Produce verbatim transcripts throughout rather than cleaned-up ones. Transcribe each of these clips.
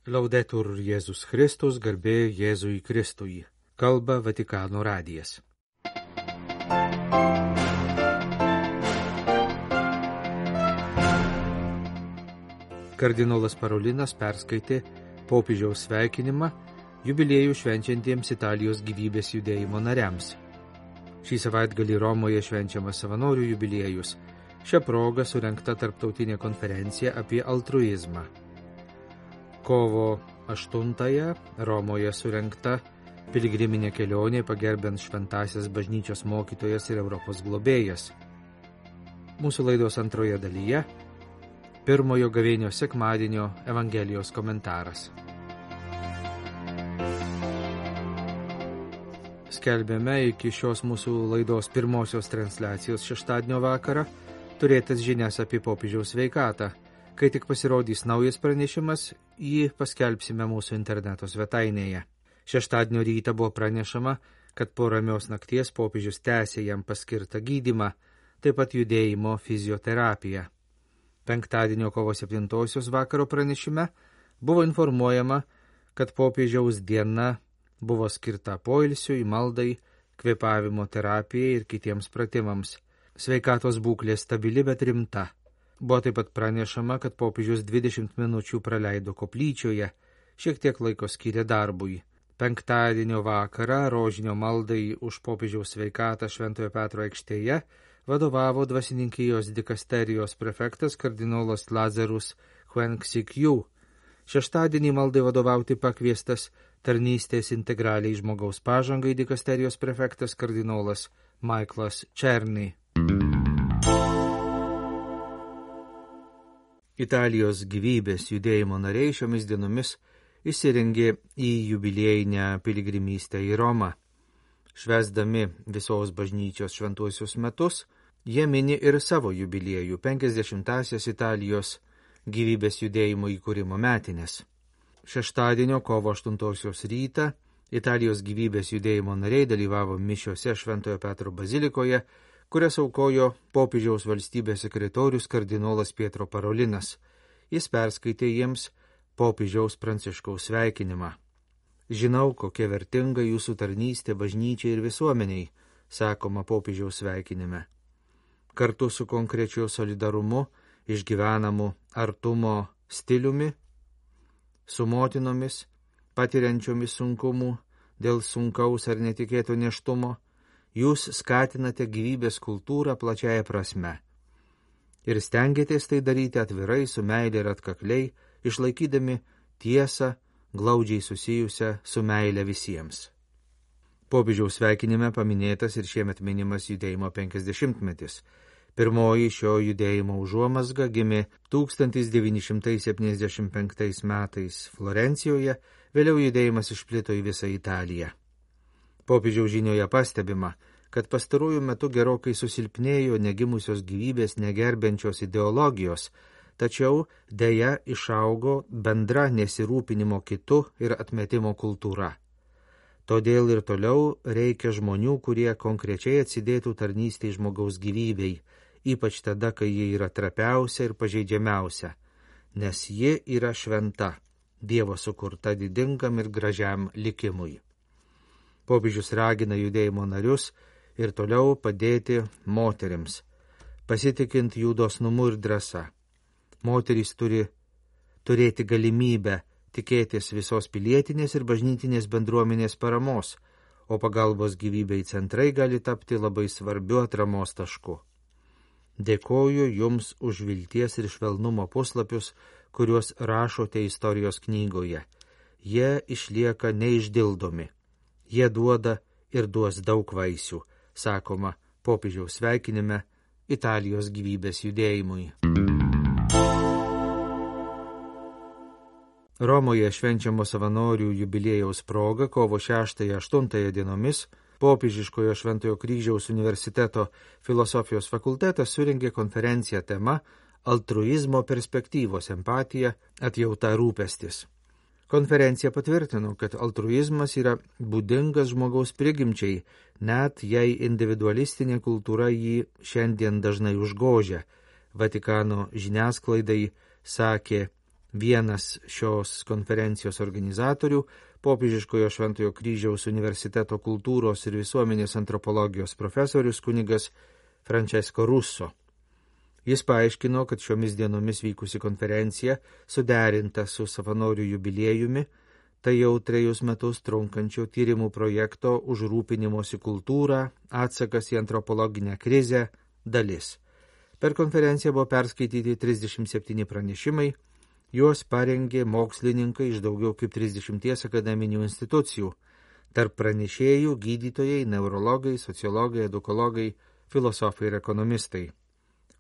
Laudetur Jėzus Kristus, garbė Jėzui Kristui. Kalba Vatikano radijas. Kardinolas Parolinas perskaitė popiežiaus sveikinimą jubiliejų švenčiantiems Italijos gyvybės judėjimo nariams. Šį savaitgalį Romoje švenčiamas savanorių jubiliejus. Šia proga surengta tarptautinė konferencija apie altruizmą. Kovo aštuntąją Romoje surengta piligriminė kelionė pagerbiant šventąsias bažnyčios mokytojas ir Europos globėjas. Mūsų laidos antroje dalyje pirmojo gavėnios sekmadienio Evangelijos komentaras. Skelbėme iki šios mūsų laidos pirmosios transliacijos šeštadienio vakarą turėtas žinias apie popiežiaus sveikatą. Kai tik pasirodys naujas pranešimas, jį paskelbsime mūsų interneto svetainėje. Šeštadienio rytą buvo pranešama, kad po ramios nakties popiežius tęsė jam paskirtą gydymą, taip pat judėjimo fizioterapiją. Penktadienio kovo septintosios vakaro pranešime buvo informuojama, kad popiežiaus diena buvo skirta poilsiui, maldai, kvėpavimo terapijai ir kitiems pratimams. Sveikatos būklė stabili, bet rimta. Buvo taip pat pranešama, kad popiežius dvidešimt minučių praleido koplyčioje, šiek tiek laiko skyrė darbui. Penktadienio vakarą rožinio maldai už popiežiaus sveikatą Šventojo Petro aikštėje vadovavo dvasininkijos dikasterijos prefektas kardinolas Lazarus Huenksikju. Šeštadienį maldai vadovauti pakviestas tarnystės integraliai žmogaus pažangai dikasterijos prefektas kardinolas Michaelas Černy. Italijos gyvybės judėjimo nariai šiomis dienomis įsirengė į jubiliejinę piligrimystę į Romą. Švęsdami visos bažnyčios šventuosius metus, jie mini ir savo jubiliejų penkiasdešimtąsias Italijos gyvybės judėjimo įkūrimo metines. Šeštadienio kovo aštuntosios rytą Italijos gyvybės judėjimo nariai dalyvavo mišiose Šventojo Petro bazilikoje, kurias aukojo popiežiaus valstybės sekretorius kardinolas Pietro Parolinas. Jis perskaitė jiems popiežiaus Pranciškaus sveikinimą. Žinau, kokia vertinga jūsų tarnystė bažnyčiai ir visuomeniai, sakoma popiežiaus sveikinime. Kartu su konkrečiu solidarumu, išgyvenamu artumo stiliumi, su motinomis, patiriančiomis sunkumų dėl sunkaus ar netikėto nėštumo, jūs skatinate gyvybės kultūrą plačiaja prasme ir stengiatės tai daryti atvirai, su meile ir atkakliai, išlaikydami tiesą, glaudžiai susijusią su meile visiems. Popiežiaus sveikinime paminėtas ir šiemet minimas judėjimo penkiasdešimtmetis. Pirmoji šio judėjimo užuomazga gimė tūkstantis devyni šimtai septyniasdešimt penktais metais Florencijoje, vėliau judėjimas išplito į visą Italiją. Popiežiaus žinioje pastebima, kad pastaruoju metu gerokai susilpnėjo negimusios gyvybės negerbiančios ideologijos, tačiau deja išaugo bendra nesirūpinimo kitu ir atmetimo kultūra. Todėl ir toliau reikia žmonių, kurie konkrečiai atsidėtų tarnystei žmogaus gyvybei, ypač tada, kai ji yra trapiausia ir pažeidžiamiausia, nes ji yra šventa, Dievo sukurta didingam ir gražiam likimui. Popiežius ragina judėjimo narius ir toliau padėti moterims, pasitikint jų dosnumu ir drąsa. Moterys turi turėti galimybę tikėtis visos pilietinės ir bažnytinės bendruomenės paramos, o pagalbos gyvybei centrai gali tapti labai svarbiu atramos tašku. Dėkoju jums už vilties ir švelnumo puslapius, kuriuos rašote istorijos knygoje. Jie išlieka neišdildomi. Jie duoda ir duos daug vaisių, sakoma popiežiaus sveikinime Italijos gyvybės judėjimui. Romoje švenčiamo savanorių jubiliejaus proga kovo šeštąją aštuntąją dienomis popiežiškojo Šventojo Kryžiaus universiteto filosofijos fakultetas surengė konferenciją tema Altruizmo perspektyvos empatija, atjauta rūpestis. Konferencija patvirtino, kad altruizmas yra būdingas žmogaus prigimčiai, net jei individualistinė kultūra jį šiandien dažnai užgožia. Vatikano žiniasklaidai sakė Vienas šios konferencijos organizatorių, Popiežiškojo Šventojo Kryžiaus universiteto kultūros ir visuomenės antropologijos profesorius kunigas Francesco Russo. Jis paaiškino, kad šiomis dienomis vykusi konferencija suderinta su savanorių jubiliejumi, tai jau trejus metus trunkančio tyrimų projekto užrūpinimosi kultūrą, atsakas į antropologinę krizę dalis. Per konferenciją buvo perskaityti trisdešimt septyni pranešimai, juos parengė mokslininkai iš daugiau kaip trisdešimties akademinių institucijų, tarp pranešėjų gydytojai, neurologai, sociologai, edukologai, filosofai ir ekonomistai.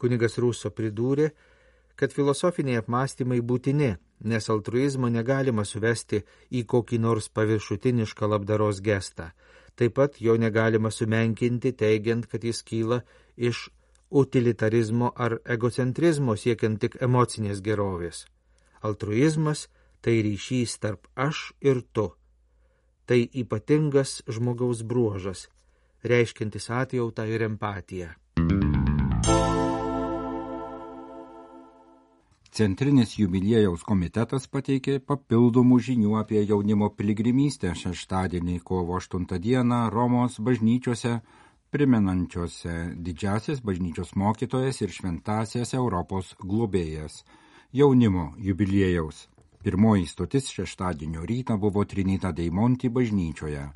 Kunigas Russo pridūrė, kad filosofiniai apmąstymai būtini, nes altruizmo negalima suvesti į kokį nors paviršutinišką labdaros gestą. Taip pat jo negalima sumenkinti, teigiant, kad jis kyla iš utilitarizmo ar egocentrizmo siekiant tik emocinės gerovės. Altruizmas tai ryšys tarp aš ir tu. Tai ypatingas žmogaus bruožas, reiškiantis atjautą ir empatiją. Centrinis jubiliejaus komitetas pateikė papildomų žinių apie jaunimo piligrimystę šeštadienį kovo aštuntą dieną Romos bažnyčiose, primenančiose didžiasias bažnyčios mokytojas ir šventasias Europos globėjas. Jaunimo jubiliejaus. Pirmoji stotis šeštadienio rytą buvo Trinita dei Monti bažnyčioje.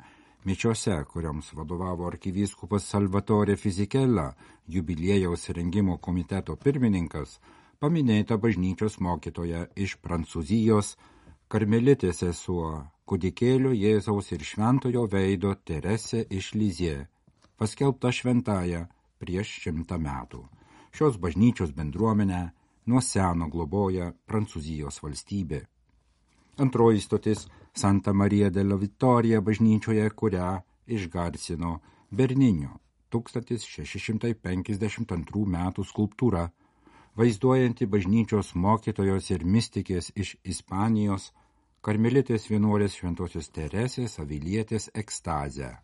Mišiose, kurioms vadovavo arkivyskupas Salvatore Fisichella, jubiliejaus rengimo komiteto pirmininkas, paminėta bažnyčios mokytoja iš Prancūzijos, karmelitė sesuo, kūdikėlio Jėzaus ir šventojo veido Teresė iš Lizie, paskelbta šventąja prieš šimtą metų. Šios bažnyčios bendruomenę nuo seno globoja Prancūzijos valstybė. Antroji stotis Santa Maria della Vittoria bažnyčioje, kurią išgarsino Berninio tūkstantis šeši šimtai penkiasdešimt antrų metų skulptūra, vaizduojanti bažnyčios mokytojos ir mistikės iš Ispanijos, karmelitės vienuolės šventosios Teresės Avilietės ekstazę.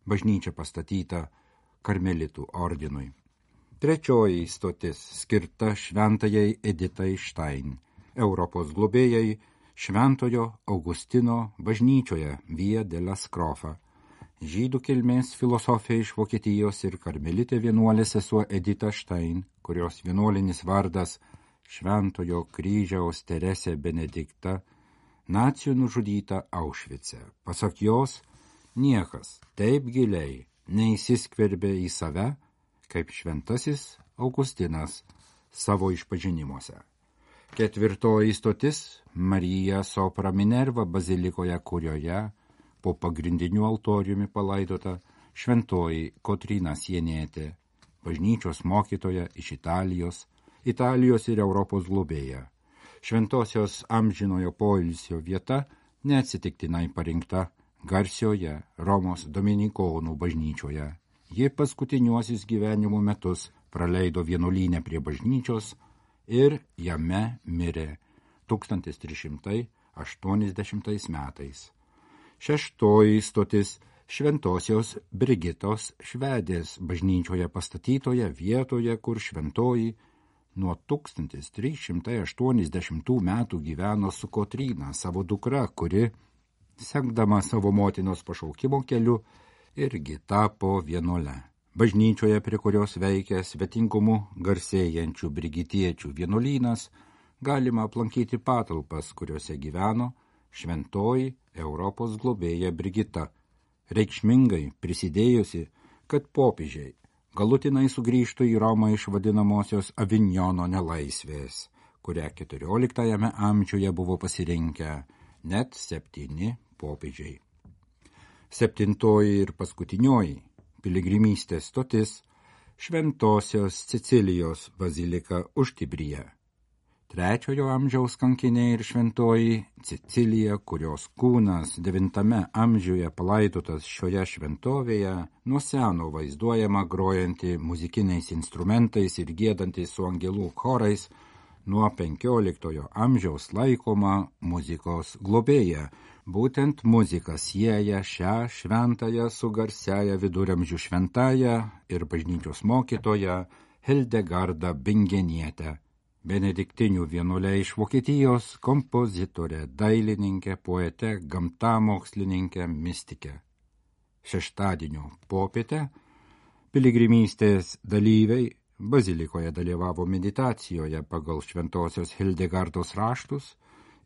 Bažnyčia pastatyta karmelitų ordinui. Trečioji stotis skirta šventajai Editai Štain, Europos globėjai Šventojo Augustino bažnyčioje Via della Scrofa. Žydų kilmės filosofija iš Vokietijos ir karmelitė vienuolė sesuo Edita Štain, kurios vienuolinis vardas Šventojo kryžiaus Teresė Benedikta, nacijų nužudyta Aušvice. Pasak jos, niekas taip giliai neįsiskverbė į save, kaip šventasis Augustinas savo išpažinimuose. Ketvirtoji stotis Marija Sopra Minerva bazilikoje, kurioje po pagrindiniu altoriumi palaidota šventoji Kotryna Sienietė, bažnyčios mokytoja iš Italijos, Italijos ir Europos globėja. Šventosios amžinojo poilsio vieta neatsitiktinai parinkta garsioje Romos dominikonų bažnyčioje. Ji paskutiniuosius gyvenimo metus praleido vienuolyne prie bažnyčios ir jame mirė tūkstantis trys šimtai aštuoniasdešimtais metais. Šeštoji stotis Šventosios Brigitos Švedės bažnyčioje pastatytoje vietoje, kur šventoji nuo tūkstantis trys šimtai aštuoniasdešimtų metų gyveno su Kotryna, savo dukra, kuri, sekdama savo motinos pašaukimo keliu, irgi tapo vienuole. Bažnyčioje, prie kurios veikia svetingumu garsėjančių brigitiečių vienuolynas, galima aplankyti patalpas, kuriuose gyveno šventoji Europos globėja Brigita, reikšmingai prisidėjusi, kad popiežiai galutinai sugrįžtų į Romą iš vadinamosios Avinjono nelaisvės, kurią keturioliktajame amžiuje buvo pasirinkę net septyni popiežiai. Septintoji ir paskutinioji piligrimystės stotis Šventosios Cecilijos bazilika Užtibryje. Trečiojo amžiaus kankinė ir šventoji Cecilija, kurios kūnas devintame amžiuje palaidotas šioje šventovėje, nuo seno vaizduojama grojanti muzikiniais instrumentais ir giedanti su angelų chorais, nuo penkioliktojo amžiaus laikoma muzikos globėja. Būtent muzika sieja šią šventąją su garsiaja viduramžių šventąja ir bažnyčios mokytoja Hildegarda Bingeniete. benediktinių vienuolė iš Vokietijos, kompozitorė, dailininkė, poetė, gamtamokslininkė, mistikė. Šeštadienio popietę piligrimystės dalyviai bazilikoje dalyvavo meditacijoje pagal šventosios Hildegardos raštus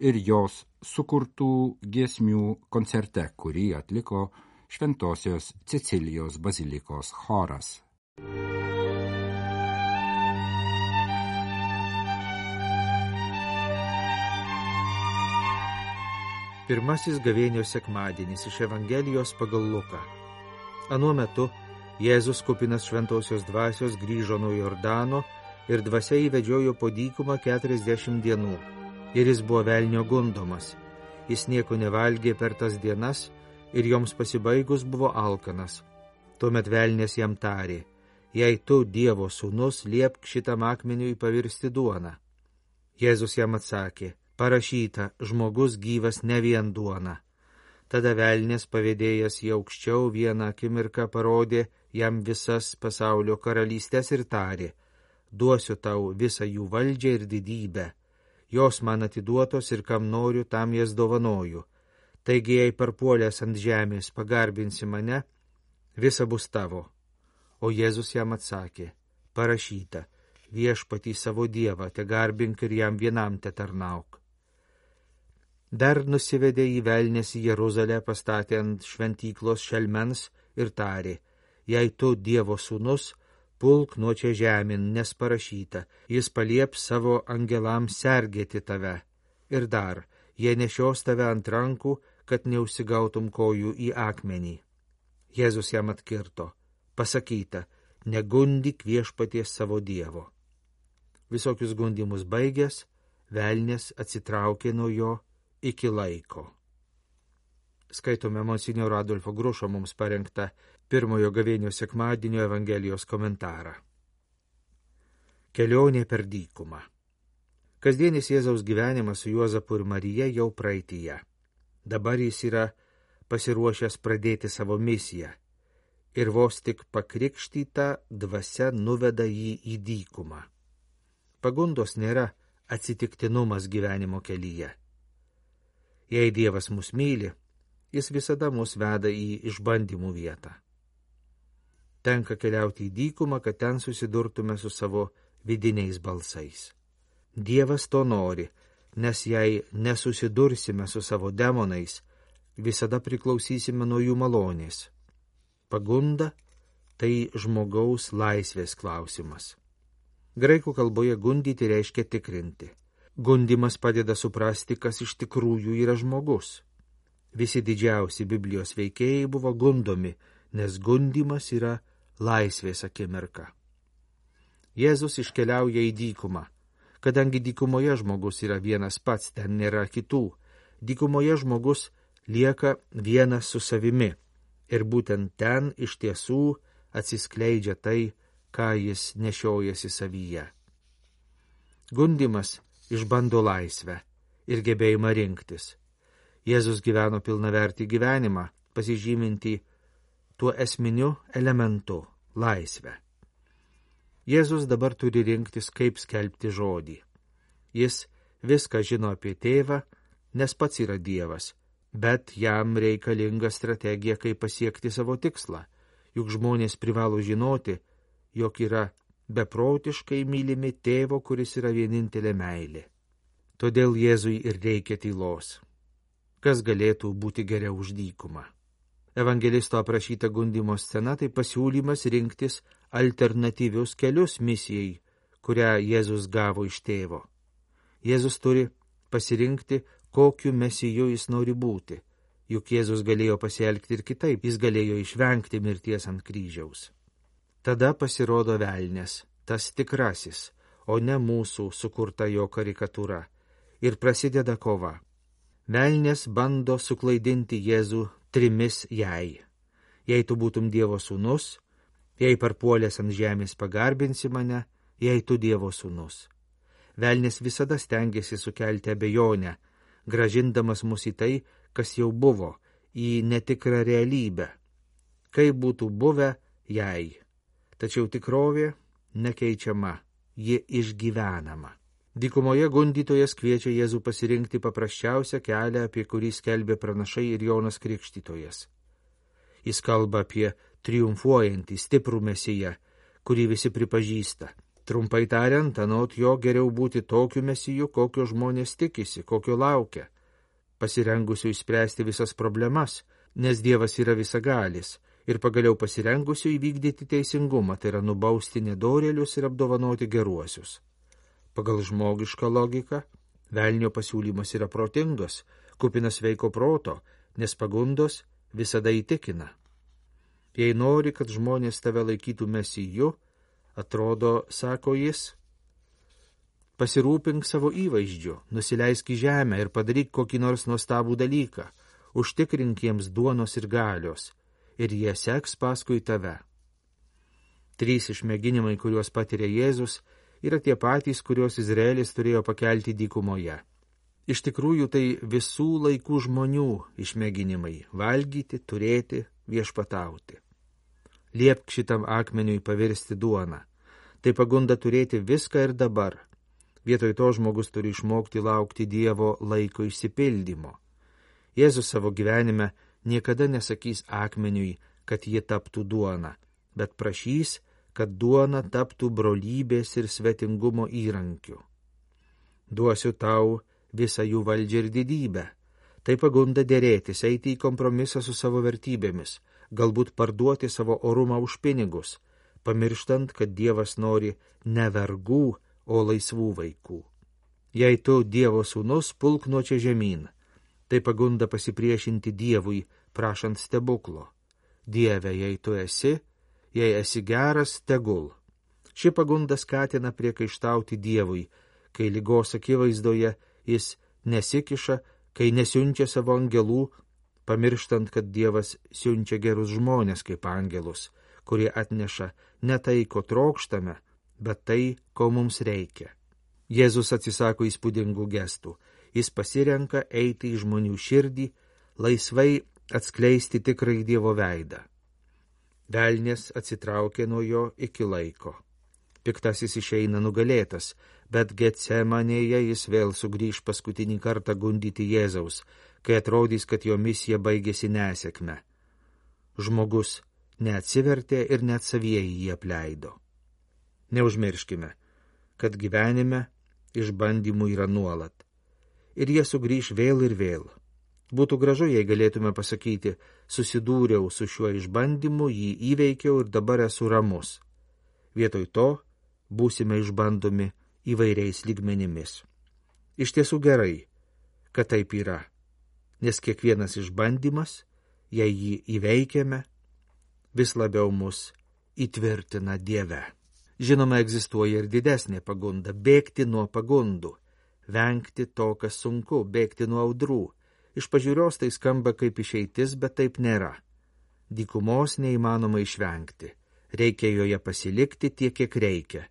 ir jos sukurtų giesmių koncerte, kurį atliko šventosios Cecilijos bazilikos choras. Pirmasis gavėnios sekmadienis iš Evangelijos pagal Luką. Anuo metu Jėzus kupinas šventosios dvasios grįžo nuo Jordano ir dvasia įvedžiojo po dykumą keturiasdešimt dienų. Ir jis buvo velnio gundomas. Jis nieko nevalgė per tas dienas ir joms pasibaigus buvo alkanas. Tuomet velnės jam tarė: jei tu, Dievo sūnus, liepk šitam akmeniui pavirsti duoną. Jėzus jam atsakė: parašyta, žmogus gyvas ne vien duona. Tada velnės pavėdėjęs į aukščiau vieną akimirką parodė jam visas pasaulio karalystės ir tarė: duosiu tau visą jų valdžią ir didybę. Jos man atiduotos ir kam noriu, tam jas dovanoju. Taigi, jei parpuolęs ant žemės pagarbinsi mane, visa bus tavo. O Jėzus jam atsakė: parašyta, viešpatį savo Dievą te garbink ir jam vienam te tarnauk. Dar nusivedė į velnės į Jeruzalę, pastatė ant šventyklos šelmens ir tarė: jei tu, Dievo sūnus, pulk nuo čia žemėn, nes parašyta, jis palieps savo angelams sergėti tave. Ir dar, jie nešios tave ant rankų, kad neužsigautum kojų į akmenį. Jėzus jam atkirto: pasakyta, negundyk viešpaties savo Dievo. Visokius gundymus baigęs, velnės atsitraukė nuo jo iki laiko. Skaitome monsinjoro Adolfo Grušo mums parengtą pirmojo gavėnios sekmadienio Evangelijos komentarą. Kelionė per dykumą. Kasdienis Jėzaus gyvenimas su Juozapu ir Marija jau praeityje. Dabar jis yra pasiruošęs pradėti savo misiją ir vos tik pakrikštyta dvasia nuveda jį į dykumą. Pagundos nėra atsitiktinumas gyvenimo kelyje. Jei Dievas mus myli, jis visada mus veda į išbandymų vietą. Tenka keliauti į dykumą, kad ten susidurtume su savo vidiniais balsais. Dievas to nori, nes jei nesusidursime su savo demonais, visada priklausysime nuo jų malonės. Pagunda – tai žmogaus laisvės klausimas. Graikų kalboje gundyti reiškia tikrinti. Gundymas padeda suprasti, kas iš tikrųjų yra žmogus. Visi didžiausi Biblijos veikėjai buvo gundomi, nes gundymas yra laisvės akimirka. Jėzus iškeliauja į dykumą. Kadangi dykumoje žmogus yra vienas pats, ten nėra kitų, dykumoje žmogus lieka vienas su savimi. Ir būtent ten iš tiesų atsiskleidžia tai, ką jis nešiojasi savyje. Gundymas išbando laisvę ir gebėjimą rinktis. Jėzus gyveno pilnavertį gyvenimą, pasižymintį tuo esminiu elementu – laisvę. Jėzus dabar turi rinktis, kaip skelbti žodį. Jis viską žino apie tėvą, nes pats yra Dievas, bet jam reikalinga strategija, kaip pasiekti savo tikslą, juk žmonės privalo žinoti, jog yra beprotiškai mylimi tėvo, kuris yra vienintelė meilė. Todėl Jėzui ir reikia tylos. Kas galėtų būti geriau už dykumą? Evangelisto aprašyta gundymo scena tai pasiūlymas rinktis alternatyvius kelius misijai, kurią Jėzus gavo iš tėvo. Jėzus turi pasirinkti, kokiu mesiju jis nori būti, juk Jėzus galėjo pasielgti ir kitaip, jis galėjo išvengti mirties ant kryžiaus. Tada pasirodo velnės, tas tikrasis, o ne mūsų sukurta jo karikatūra, ir prasideda kova. Velnės bando suklaidinti Jėzų trimis jei. Jei tu būtum Dievo sūnus, jei parpuolęs ant žemės pagarbinsi mane, jei tu Dievo sūnus. Velnės visada stengiasi sukelti abejonę, grąžindamas mus į tai, kas jau buvo, į netikrą realybę. Kaip būtų buvę, jei. Tačiau tikrovė nekeičiama, ji išgyvenama. Dykumoje gundytojas kviečia Jėzų pasirinkti paprasčiausią kelią, apie kurį skelbė pranašai ir Jonas Krikštytojas. Jis kalba apie triumfuojantį, stiprų mesiją, kurį visi pripažįsta. Trumpai tariant, anot jo geriau būti tokiu mesiju, kokio žmonės tikisi, kokio laukia, pasirengusiu išspręsti visas problemas, nes Dievas yra visagalis, ir pagaliau pasirengusiu įvykdyti teisingumą, tai yra nubausti nedorėlius ir apdovanoti geruosius. Pagal žmogišką logiką, velnio pasiūlymas yra protingas, kupinas sveiko proto, nes pagundos visada įtikina. Jei nori, kad žmonės tave laikytų mesiju, atrodo, sako jis, pasirūpink savo įvaizdžiu, nusileisk į žemę ir padaryk kokį nors nuostabų dalyką, užtikrink jiems duonos ir galios, ir jie seks paskui tave. Trys išmėginimai, kuriuos patiria Jėzus, yra tie patys, kuriuos Izraelis turėjo pakelti dykumoje. Iš tikrųjų, tai visų laikų žmonių išmėginimai – valgyti, turėti, viešpatauti. Liepk šitam akmeniui pavirsti duoną. Tai pagunda turėti viską ir dabar. Vietoj to žmogus turi išmokti laukti Dievo laiko išsipildymo. Jėzus savo gyvenime niekada nesakys akmeniui, kad ji taptų duona, bet prašys, kad duona taptų brolybės ir svetingumo įrankiu. Duosiu tau visą jų valdžią ir didybę. Tai pagunda dėrėtis, eiti į kompromisą su savo vertybėmis, galbūt parduoti savo orumą už pinigus, pamirštant, kad Dievas nori ne vergų, o laisvų vaikų. Jei tu Dievo sūnus, pulk nuo čia žemyn. Tai pagunda pasipriešinti Dievui, prašant stebuklo. Dieve, jei tu esi, jei esi geras, tegul. Ši pagunda skatina priekaištauti Dievui, kai ligos akivaizdoje jis nesikiša, kai nesiunčia savo angelų, pamirštant, kad Dievas siunčia gerus žmonės kaip angelus, kurie atneša ne tai, ko trokštame, bet tai, ko mums reikia. Jėzus atsisako įspūdingų gestų. Jis pasirenka eiti į žmonių širdį, laisvai atskleisti tikrai Dievo veidą. Velnės atsitraukė nuo jo iki laiko. Piktasis išeina nugalėtas, bet Getsemanėje jis vėl sugrįž paskutinį kartą gundyti Jėzaus, kai atrodys, kad jo misija baigėsi nesėkme. Žmogus neatsivertė ir net savieji jį apleido. Neužmirškime, kad gyvenime išbandymų yra nuolat. Ir jie sugrįž vėl ir vėl. Būtų gražu, jei galėtume pasakyti, susidūriau su šiuo išbandymu, jį įveikiau ir dabar esu ramus. Vietoj to būsime išbandomi įvairiais lygmenimis. Iš tiesų gerai, kad taip yra, nes kiekvienas išbandymas, jei jį įveikiame, vis labiau mus įtvirtina Dieve. Žinoma, egzistuoja ir didesnė pagunda – bėgti nuo pagundų, vengti to, kas sunku, bėgti nuo audrų. Iš pažiūros tai skamba kaip išeitis, bet taip nėra. Dykumos neįmanoma išvengti. Reikia joje pasilikti tiek, kiek reikia,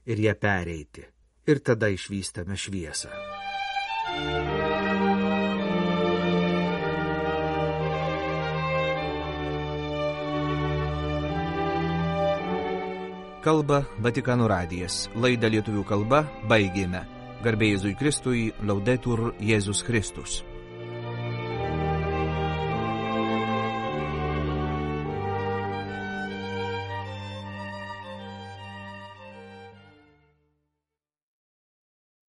ir ją pereiti. Ir tada išvystame šviesą. Kalba Vatikano radijas. Laidą lietuvių kalba baigėme. Garbė Jėzui Kristui, Laudetur Jėzus Kristus.